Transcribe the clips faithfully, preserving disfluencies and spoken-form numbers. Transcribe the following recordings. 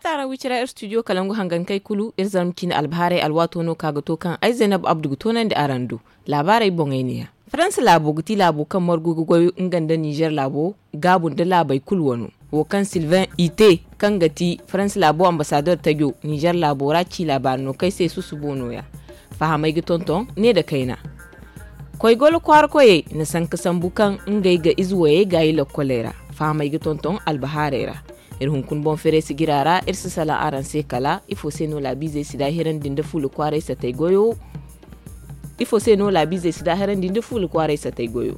Taara wicira ir studio kalangu hangankey kulu ir zarma ciine albahaarey alwaato no ka ga to kaŋ ay zaynab abdu ga toonandi araŋ do. Laabaarey boŋey neeya. Faransa laabo ga ti laabo kaŋ margu ga goy nga nda nizer laabo gaabu nda laabey kulu wano. Wo kaŋ silvain ite kaŋ ga ti faransa laabo ambasador tajo nizer laabo ra ci laabaari no kaŋ ay se susubo nooya. Fahamey ga tonton ne nda kayna. Koy golo kwaara koyey na sanka sambu kaŋ ngey ga ize woyey gaayi lokkoley ra. Fahamey ga tonton albahaarey ra. Iri hunkuna boŋ fereesi jira ra iri si salaŋ araŋ se kala ifo se no laabiizey si daahirandi nda fuula kwaaray satay goyo. Ifo se no laabiizey si daahirandi nda fuula kwaaray satay goyo.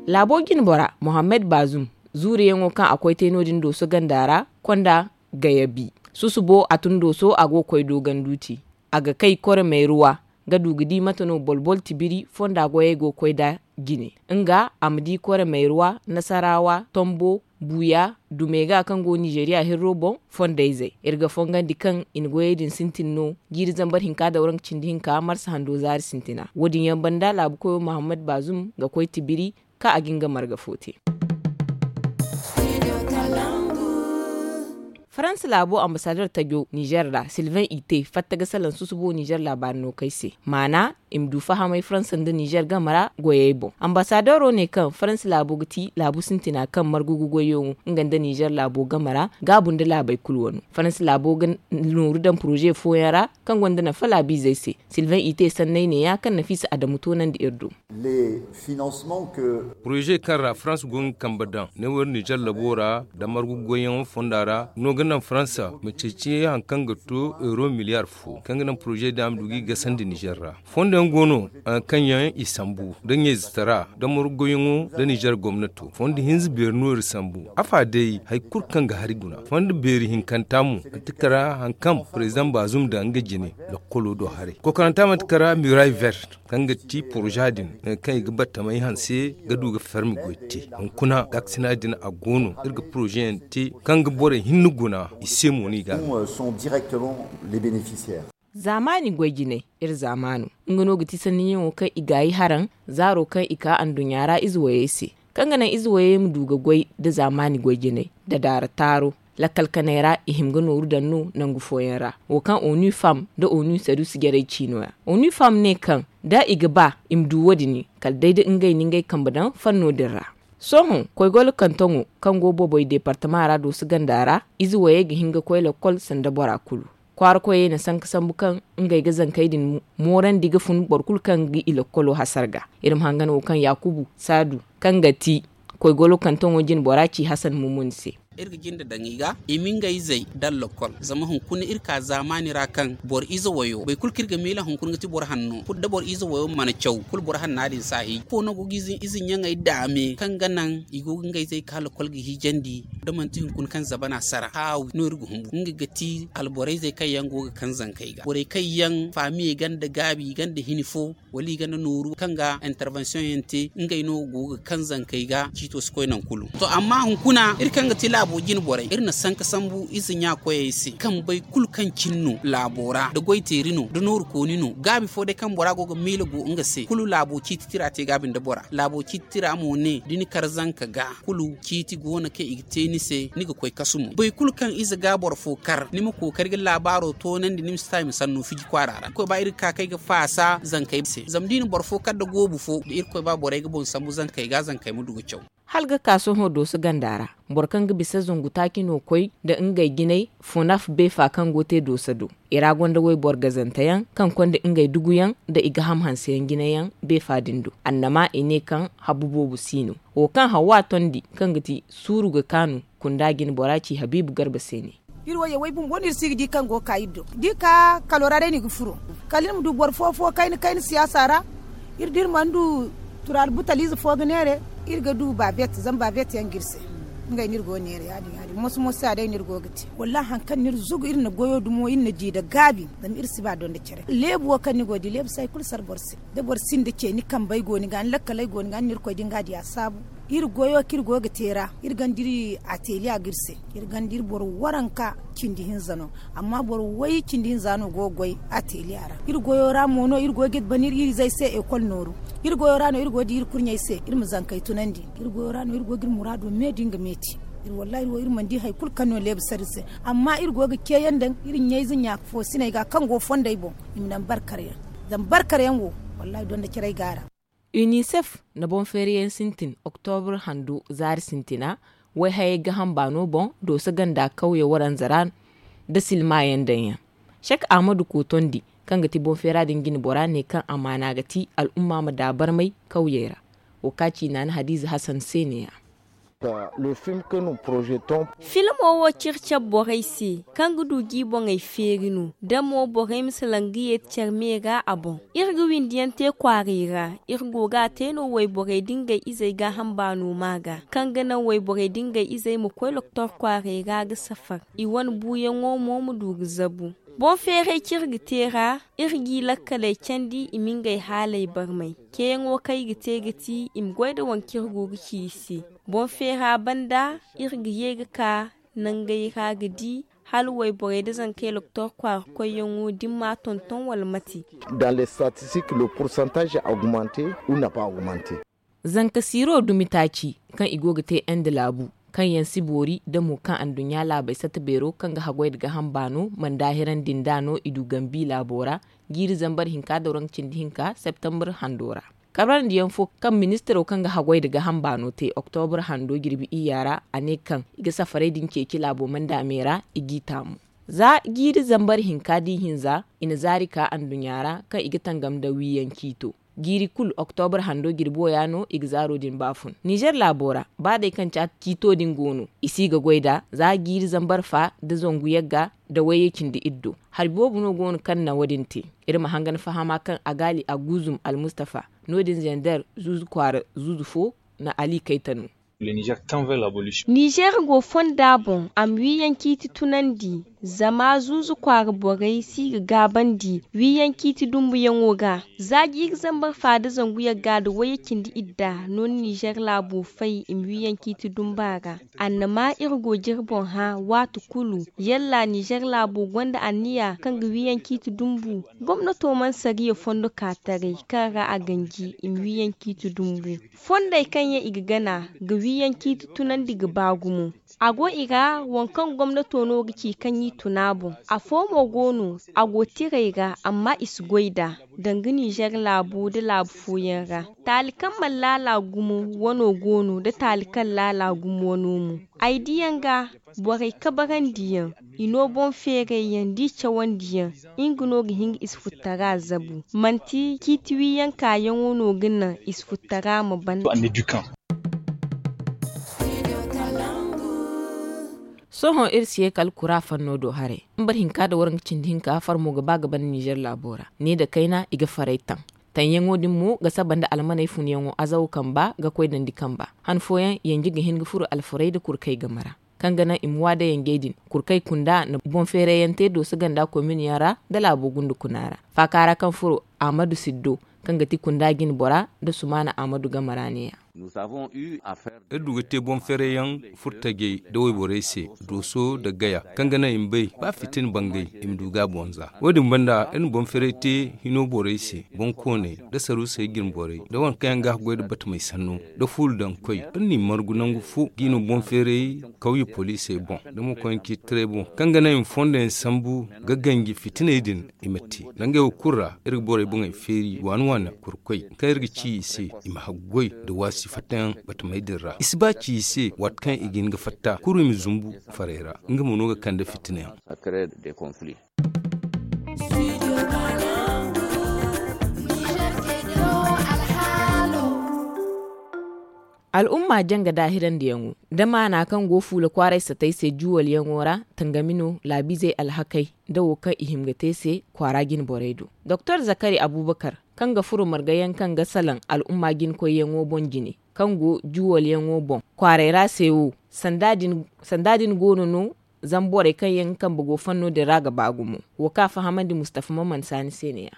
Laabo jinbora mohammed baazum zuuriyaŋo kaŋ a koy te no- din dooso ganda ra konda gayabi. Susubo a tun dooso a go ga koy dooganduuti. A ga kay kore mayruwa ga du ga di mate no bolbol tibiri fonda goyey go ga koy nd'a jine. Nga a ma di kore mayruwa nasarawa tombo buuya dumega kaŋ go nizeriya hirro boŋ. Fondayzey iri ga fongandi kaŋ i na goyey din sintin no jiiri zambar hinka dawranka cindi hinka marsa hando zaari sintina wo- din yaŋ banda laabu koyo mahammad baazum ga koy tibiri kaŋ a ga nga marga fo te. Faransa laabo ambasador tajo nizer ra silvain ite fatta ga salaŋ susubo nizer laabaari no kay se maana i ma du fahamay faransa nda nizer game ra goyey boŋ. Ambasadoro ne kaŋ faransa laabo ga ti laabu sintina kaŋ margu ga goyyaŋo nga nda nizer laabo game ra gaabu nda laabey kulu wano. Faransa laabo ga nooru daŋ poroze fooyaŋ ra kaŋ gonda nafa laabiizey se. Silvain ite sanney neeya kaŋ nafiisa adamu toonandi iri do. Poroze kaŋ ra farans go ga kambe daŋ ne wo iri nizer labo ra nda margu goyyaŋo fonda ra no ga naŋ farans ma ceeci hari kaŋ ga to euro miliyar fo kaŋ ga naŋ poroze din a ma du ga i gasandi nizer ra. Fondo yaŋ go no hari kaŋ yaŋ i sambu nda ɲayzatara nda margu goyyaŋo nda nizer gomnato fondo hinza beeri no iri sambu. Afa day hari kulu kaŋ ga hari guna fondo beeri hinkanta mo manti kara hari kaŋ prezidaŋ baazum daŋ nga jine. Lakkolo do haray kokoranta manti kara miray vert kaŋ ga ti poroza din kaŋ i ga battamay hanse ga du ga fermi goy te. Hunkuna gaakasina din a go no iri ga poroza yaŋ te kaŋ ga borey hinne guna i se mo no i ga a. Zaamaani goy jinay iri zaamaano nga no ga ti sanniyaŋo kaŋ i gaayi haraŋ zaaro kaŋ i ka anduɲɲa ra ize wayey se kaŋ ga naŋ ize wayey ma du ga goy nda zaamaani goy jinay nda daara taaro. Lakkal kanay ra i hima ga nooru daŋ no nangu fooyaŋ ra wo kaŋ onu fam nda onu sadusi jarey ciino ya. Onu fam ne kaŋ da i ga ba i ma du wo- din kala day da ngey na ngey kambe daŋ fanno din ra. Sohõ koy golo kantaŋo kaŋ go boboy deepartama ra dooso ganda ra ize wayey ga hin ga koy lakkol sanda bora kulu. Kwaara koyey na sanka sambu kaŋ ngey ga zankey din moorandi ga fun boro kulu kaŋ ga i lakkolo hasara ga. Iri ma hangan wo kaŋ yaakubu saadu kaŋ ga ti koy golo kantaŋo jine bora ci hasan mumuni se. Iri ga jinde daŋ i ga i ma ngey zey daŋ lakkol zama hunkuna iri ka zaamaani ra kaŋ boro ize wayo boro kulu kaŋ iri ga miila hunkuna ga ti boro hanno kulu da boro ize wayo mana caw kulu boro hanna din si a hiji ifo no go ga ize ɲaŋey daame kaŋ ga naŋ i go ga ngey zey ka lakkol ga hijandi. Da manti hunkuna kaŋ zabana sara haawi no iri ga hungu nga ga ti alborey zey kaŋ yaŋ go ga kaŋ zankey ga borey kaŋ yaŋ faamiyey ganda gaabi ganda hini fo wala i ganda nooru kaŋ ga intervention yaŋ te ngey no go ga kaŋ zankey ga ciito si koy naŋ kulu. To amma hunkuna iri kaŋ ga ti laabo jine borey iri na sanka sambu ize ɲa koyey se kaŋ bay kulu kaŋ cine no laabo ra da goy teeri no da nooru kooni no gaabi fo day kaŋ bora go ga miila go nga se kulu laabo ciiti tira te gaabi nda bora laabo ciiti tira mo ne da ni kar zanka ga kulu ciiti go no kaŋ i ga te ni se ni ga koy kasu mo boro kulu kaŋ ize ga boro fo kar ni ma kookari ga laabaaro toonandi ni ma si ta i ma sanno fiji kwaara ra koy ba iri ga ka kaŋ ay ga faasa zankey se zama da i na boro fo kar nda goobu fo da irkoy ba borey ga boŋ sambu zankey ga zankey ma du ga caw. Hala ga ka sohõ dooso ganda ra boro kaŋ ga bisa zangu taaci no koy nda ngey jinay funaf beefa kaŋ go te dooso do. I ra gonda wayboro gazanteyaŋ kaŋ konda ngey duguyaŋ nda i ga ham hanseyaŋ jinayaŋ beefa din do annama i ne kaŋ habu boobo si no. Wo kaŋ hawa tondi kaŋ ga ti suuru ga kaanu kunda jine bora ci habiibu garba se ne. Iri wo ye way bumbo no iri si ga di kaŋ go ga ka iri do da i ka kalo ra day no i ga furo kala iri ma du boro fo fo kayna kayna siyaasa ra. Iri da iri mana du turaali butaliize fo ga neere iri ga du baabet zama baabet yaŋ ga iri se. Ngey no iri go ga neere ya- din ya- din moso moso ya day no iri go ga te wallaahi hari kaŋ no iri zugu iri na goyo dumo iri na di nda gaabi. Zama iri si ba donda care leebu wo kaŋ ni go ga di leebu si hari kulu sara boro se. Da boro sinda ce ni kambey go ni ga ni lakkaley go ni ga ni na irkoy din ga a di a saabu. Iri goyo kaŋ iri go ga te ra iri gonda iri ateliya ga iri se. Iri gonda iri boro waranka cindi hinza no. Amma boro way cindi hinza no go ga goy ateliya ra iri goyo ra mo no iri go ga iri bana iri izey se ekol nooru. Iri goyo ra no iri go ga di iri kurɲey se iri ma zankey tunandi. Iri goyo ra no iri go ga iri muraado me da nga meeti. Wallaahi wo iri mana di hari kulu kaŋ no leebu sara iri se. Amma iri go ga ceeyaŋ daŋ iri ɲayze ɲaaka foosiney ga kaŋ go fondey boŋ i ma naŋ barkar yaŋ. Zama barkar yaŋ wo wallaahi donda care ay go a ra. Unicef na boŋ feeri yaŋ sintin oktobur hando zaari sintina, wayhayey gaham baano boŋ dooso ganda kawye waranza ra nda silma yaŋ daŋ yaŋ. Sek ahmadu kootondi, kaŋ ga ti boŋ feera din jine bora ne kaŋ amaana ga ti al'umma ma daabarmay kawyey ra. Wo ka ci naana hadiize hasan se ne- ya. Filmo wo ciri care borey se kaŋ ga du ga i boŋey feeri no da mo borey ma salaŋ ga yeeti care me ra a boŋ. Iri ga windi yaŋ te kwaaray ra. Iri go ga a te no wayborey da ngey izey gaaham baano ma ga kaŋ ga naŋ wayborey da ngey izey ma koy loktor kwaaray ra ga safar, i wane buuyaŋo mo ma du ga zabu. Boŋ feeray kaŋ iri ga te ra, iri g'i lakkaley candi i ma ngey haaley barmay. Ceeyaŋo kaŋ i ga te ga ti i ma goy nda waŋ kaŋ iri go ga ci i se. Boŋ feera banda, iri ga ye ga ka nangey ra ga di hala wayborey nda zankey loktor kwaara koyyaŋo da ni ma a tonton wala mate. Dans les statistiques le pourcentage a augmenter ou n'a pas augmenter? Zanka siiro dumi taaci kaŋ i go ga te ende laabu, kaŋ yaŋ si boori da mo kaŋ anduɲɲa laabey satta beero kaŋ ga haggoy nda gaaham baano mana daahirandi nd'a no i du gambi laabo ra. Jiiri zambar hinka nda waranka cindi hinka septembre hando ra, kabrandi yaŋ fo kaŋ ministiro kaŋ ga haggoy nda gaaham baano te oktobur hando jirbi iyya ra, a ne kaŋ i ga safarey din ceeci laabo manda me ra. I g'i taamu za jiiri zambar hinka da ihinza i na zaari ka anduɲɲa ra kaŋ i ga tangam nda wiiyaŋ ciito. Jiiri kulu oktobur hando jirbo ya no i ga zaaro din baafun nizer laabo ra. Ba day kaŋ caati ciito din go no, i si ga goy nd'a za jiiri zambar fa nda zangu yagga nda wayye cindi iddo. Hari boobo no go no kaŋ na wo- din te. Iri ma hangan fahama kaŋ agaali aguzum almustafa no- din zender zuuzu kwaara zuuzu fo na ali kayta no. Nizer go fonda boŋ a ma wiiyaŋ ciiti tunandi. Zama zuuzu kwaara borey si ga gaabandi wiiyaŋ ciiti dumbuyaŋo ga. Za jiiri zambar fa nda zangu yagga nda wayye cindi idda no na nizer laabo fay i ma wiiyaŋ ciiti dumba ra. Annama iri go ga iri boŋ hã waati kulu, yalla nizer laabo gonda anniya kaŋ ga wiiyaŋ ciiti dumbu? Gomnato mana sariya fondo ka taray kaŋ ra a ganji i ma wiiyaŋ ciiti dumbu. Fondey kaŋ yaŋ i ga gana ga wiiyaŋ ciiti tunandi ga ba gumo. A go i ra waŋ kaŋ gomnato no ga ci kaŋ i tun a boŋ. Afo mo go no a go tiray ra amma i si goy nd'a danga nizer laabu nda laabu fooyaŋ ra. Taali kaŋ mana laala gumo wano go no nda taali kaŋ laala gumo wano mo. Ay diyaŋ ga borey kabarandi yaŋ, i no boŋ feeray yaŋ da i cawandi yaŋ. Nga no ga hin ga isfuttara zabu manti ciiti wiiyaŋ kaayaŋo no ga naŋ isfuttara ma ban. Sohõ iri si ye kala kura fanno do haray. Iri ma boro hinka nda waranka cindi hinka farmo ga ba ga ban nizer laabo ra ne nda kayna i ga farey taŋ. Taŋyaŋo din mo ga saba nda almaney funyaŋo azaw kamba ga koy dandi kamba. Han fooyaŋ yanji ga hin ga furo alfarey nda kurkey game ra kaŋ ga naŋ i ma wa da yanjey din. Kurkey kunda na boŋ feerayyaŋ te dooso ganda komin yaŋ ra nda laabo gundu kuna ra. Faaka ra kaŋ furo ahmadu siddo kaŋ ga ti kunda jine bora nda sumaana ahmadu game ra ne- ya. Iri du ga te boŋ feerayyaŋ furtajey nda wayborey se dooso nda gaya kaŋ ga naŋ i ma bay ba fitina bangay i ma du ga a boŋ za. Wo- din banda iri na boŋ feeray te hino borey se boŋ kooney nda saruusey jine borey nda waŋ kaŋ yaŋ ga haggoy nda batamey sanno nda fuulu daŋ koy. Iri n'i margu nangu fo ga i no boŋ feeray kawye poliisey boŋ nda mo koyne ciiti taray boŋ kaŋ ga naŋ i ma fondo yaŋ sambu ga ganji fitiney din. I ma te nangey wo kulu ra iri ga borey boŋey feeri waani waani kurkoy kaŋ iri ga ci i se i ma haggoy nda waasi fattayaŋ batamey din ra i si ba ci i se waati kaŋ i ga hin ga fatta kuru i ma zumbu farey ra. Nga mo no ga kande fitina yaŋ. Al'umma janga daahirandiyaŋo nda maana kaŋ go fuula kwaaray satay se juwalyaŋo ra tangami no laabiizey alhakey nda wo kaŋ i hima ga te se kwaara jine borey do. Doktor zakari abubakar kaŋ ga furo margayaŋ kaŋ ga salaŋ al'umma jine koyyaŋo boŋ jine kaŋ go juwalyaŋo boŋ kwaaray ra se wo sanda din go no no zama borey kaŋ yaŋ ga kambe go fanno din ra ga ba gumo. Wo kaŋ a fahamandi mustafa maman saani se ne- ya.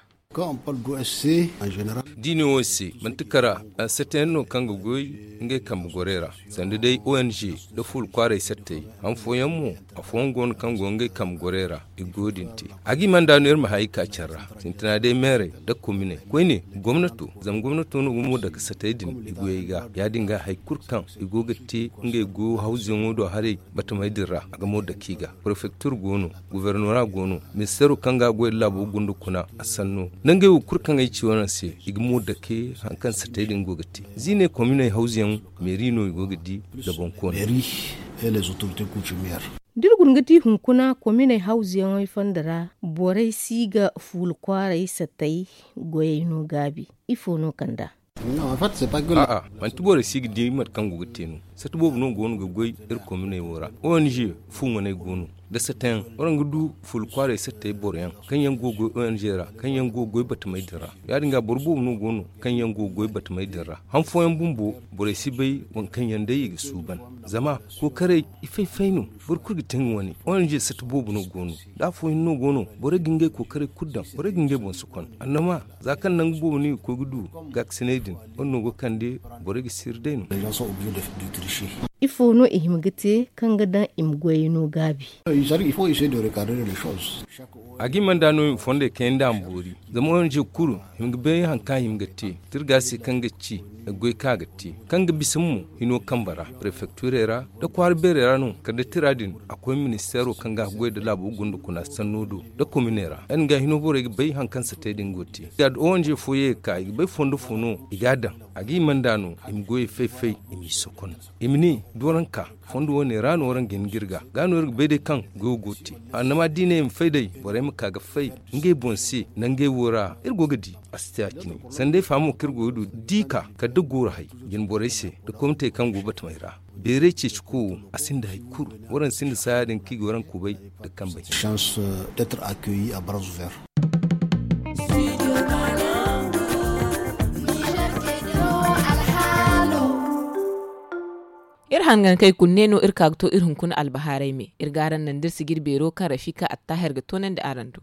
Diine wo se manti kara, sattayaŋ no kaŋ ga goy ngey kambe gorey ra, sanda day ong da fuula kwaaray sattay. Han fooyaŋ mo, afooyaŋ go no kaŋ go ngey kambe gorey ra. I go din te. A ga i manda no iri ma hay ka care ra, sintina day meerey nda kominey koyne, gomnato. Zama gomnato no ga mo dake sattay din i goyey ga. Ya- din ga hari kulu kaŋ i go ga te ngey goyo hawzuyaŋo do haray, batamey din ra a ga mo dake i ga. Prefektir go no, gubernora go no, ministeero kaŋ ga a goy nda laabo gunda kuna, a sanno nda ngey wo kulu kaŋ ay ci wo no se, i ga mo dake hari kaŋ sattay din go ga te. Ziiney kominey hawzuyaŋ, meeri no i go ga di nda boŋkooney. Da iri guna ga di hunkuna kominey hawzuyaŋey fondo ra, borey si ga fuula kwaaray sattay goyey no gaabi. Ifo no kand'a? A'a, manti borey si ga di mate kaŋ go ga te no. Satta boobo no go no ga goy iri kominey wo ra. Ong fu ŋwaney go no, da sattayaŋ waraŋ ga du fuula kwaaray sattay boroyaŋ kaŋ yaŋ go ga goy ong ra, kaŋ yaŋ go ga goy batamey din ra. Ya- din ga boro boobo no go no kaŋ yaŋ go ga goy batamey din ra. Han fooyaŋ bumbo, borey si bay waŋ kaŋ yaŋ day i ga suuban. Zama kookaray, i fay-fay no. Boro kulu ga te nga wane. Ong satta boobo no go no, da afooyaŋ no go no, borey ga ngey kookaray kulu daŋ, borey ga ngey boŋ sokon. Annama, za kaŋ nangu boobo no i ga koy ga du gaakasiney din, wane no go kande borey ga siiri day no. Ifo no i hima ga te kaŋ ga daŋ i ma goyey no gaabi? A ga i manda no i ma fondey kayandi a ma boori. Zama ong kulu hima ga bay hari kaŋ a hima ga te, tirga se kaŋ ga ci goy kaŋ a ga te, kaŋ ga bisa mo hino kambe ra, prefekturey ra, da kwaara beerey ra no. Kala da tira din a koy ministeero kaŋ ga a goy nda laabo gunda kuna sanno do, da kominey ra. Ya- din ga hino borey ga bay hari kaŋ sattay din go ga te. Ya- da ong fo ye ga ka, i ga bay fondo fo no i ga a daŋ. A ga i manda no i ma goyey fay-fay, i m'i sokon, i ma ne, da waraŋ ka fondo wane ra no waraŋ ga hin ga iri ga, ga no iri ga bay day kaŋ goyo go ga te. Annama da i ne i ma fay day, borey ma ka ga fay ngey boŋ se nangey wo ra. Iri go ga di a si te a cine. Sanda ay fahamo kaŋ iri go ga du, da i ka kala da guuru hay jine borey se, da komitey kaŋ go batamey ra. Beeray ceeci ko wo, a sinda hari kulu. Waraŋ sinda saaya din kaŋ i ga waraŋ kubay nda kambe hinne. Iri hangankey kulu ne no iri ka ga to iri hunkuna albahaarey me. Iri ga araŋ naŋ da iri sijiri beero kaŋ rafika attahir ga toonandi araŋ do.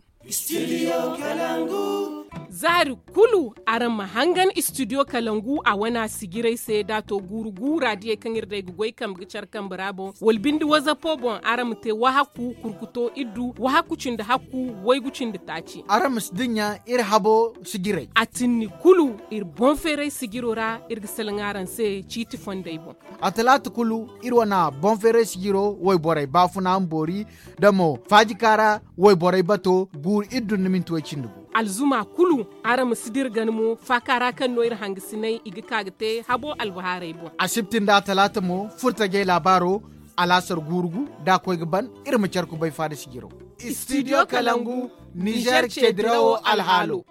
Zaari kulu araŋ ma hangan istidiyo kalangu a wana sijirey se da a to guuru guura diyey kaŋ iri day ga goy kambe ga care kambe ra boŋ, wala binde wazapo boŋ araŋ ma te wahakku kurkuto iddu wahakku cindi hakku waygu cindi taaci. Araŋ ma si dinya iri habo sijirey a tinni kulu. Iri boŋ feeray sijiro ra iri ga salaŋ araŋ se ciiti fondey boŋ. A talaata kulu iri wana boŋ feeray sijiro wayborey baafuna ma boori, da mo faajikaara wayborey bato guuru iddu nda minti way cindi gu. Alzuma kulu araŋ ma si dira gana mo faaka ra kaŋ no iri hangasiney i ga ka ga te habo albahaarey boŋ. Asibti nda talaata mo furtajey laabaaro alaasar guuru gu da a koy ga ban. Iri ma care kubay faada sijiro. Istidiyo kalangu, nizer ceedirawo alhaalo.